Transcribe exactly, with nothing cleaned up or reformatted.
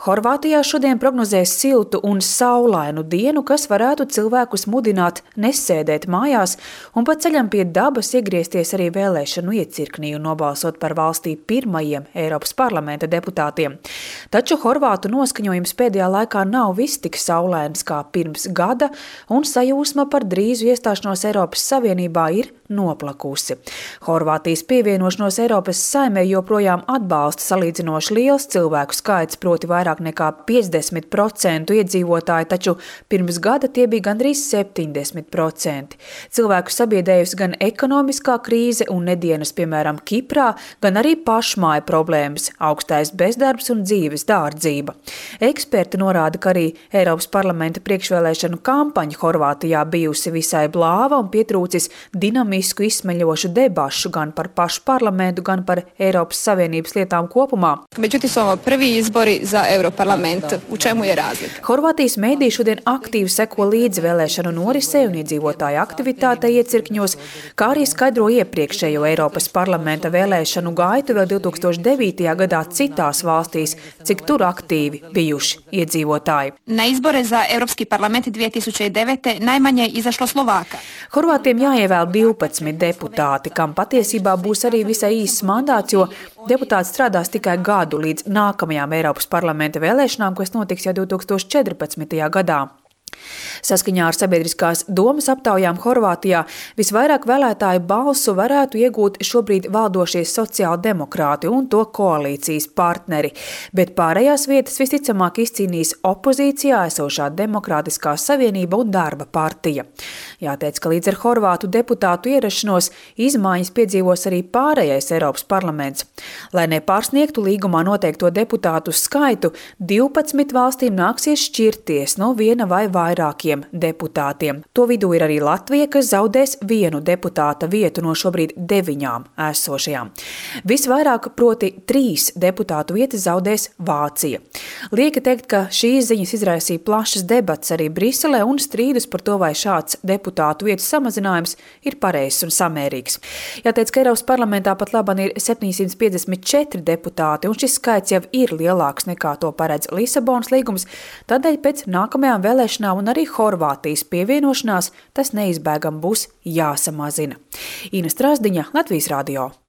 Horvātijā šodien prognozēs siltu un saulainu dienu, kas varētu cilvēkus mudināt nesēdēt mājās un pa ceļam pie dabas iegriezties arī vēlēšanu iecirknī un nobalsot par valstī pirmajiem Eiropas parlamenta deputātiem. Taču horvātu noskaņojums pēdējā laikā nav viss tik saulains kā pirms gada, un sajūsma par drīzu iestāšanos Eiropas Savienībā ir noplakusi. Horvātijas pievienošanos Eiropas Saimei joprojām atbalsta salīdzinoši liels cilvēku skaits, proti vairāk nekā piecdesmit procenti iedzīvotāji, taču pirms gada tie bija gandrīz septiņdesmit procenti. Cilvēku sabiedējusi gan ekonomiskā krīze un nedienas, piemēram, Kiprā, gan arī pašmāju problēmas, augstais bezdarbs un dzīves dārdzība. Eksperti norāda, ka arī Eiropas parlamenta priekšvēlēšanu kampaņa Horvātijā bijusi visai blāva un pietrūcis dinamisku izsmeļošu debašu gan par pašu parlamentu, gan par Eiropas Savienības lietām kopumā. Međutim, su ovo prvi izbori za Europarlament. U čemu je razlika? Horvātijas mediji šodien aktīvi seko līdzi vēlēšanu norisei un iedzīvotāju aktivitātei iecirkņos, kā arī skaidro iepriekšējo Eiropas parlamenta vēlēšanu gaitu vēl divi tūkstoši devītajā gadā citās valstīs, cik tur aktīvi bijuši iedzīvotāji. Na izbore za Europski parlament dvije tisuće devete najmanje je izašlo Slovāka. Horvātiem jāievēl divpadsmit deputāti, kam patiesībā būs arī visai īsts mandāts, jo deputāts strādās tikai gadu līdz nākamajām Eiropas parlamenta vēlēšanām, kas notiks jau divi tūkstoši četrpadsmitajā gadā. Saskaņā ar sabiedriskās domas aptaujām Horvātijā visvairāk vēlētāju balsu varētu iegūt šobrīd valdošie sociāldemokrāti un to koalīcijas partneri, bet pārējās vietas visticamāk izcīnīs opozīcijā esošā Demokrātiskā savienība un Darba partija. Jāteic, ka līdz ar horvātu deputātu ierašanos izmaiņas piedzīvos arī pārējais Eiropas parlaments. Lai nepārsniegtu līgumā noteikto deputātu skaitu, divpadsmit valstīm nāksies šķirties no viena vai vairākiem deputātiem. To vidū ir arī Latvija, kas zaudēs vienu deputāta vietu no šobrīd deviņām esošajām. Visvairāk, proti trīs deputātu vietas zaudēs Vācija. Lieki teikt, ka šīs ziņas izraisīja plašas debats arī Briselē un strīdus par to, vai šāds deputātu vietu samazinājums ir pareizs un samērīgs. Jāteic, ka Eiropas parlamentā pat labāk ir septiņsimt piecdesmit četri deputāti, un šis skaits jau ir lielāks nekā to paredz Lisabonas līgums, tādēļ pēc nākamajām vēlēšanām un arī Horvātijas pievienošanās tas neizbēgam būs jāsamazina. Ina Strasdiņa, Latvijas radio.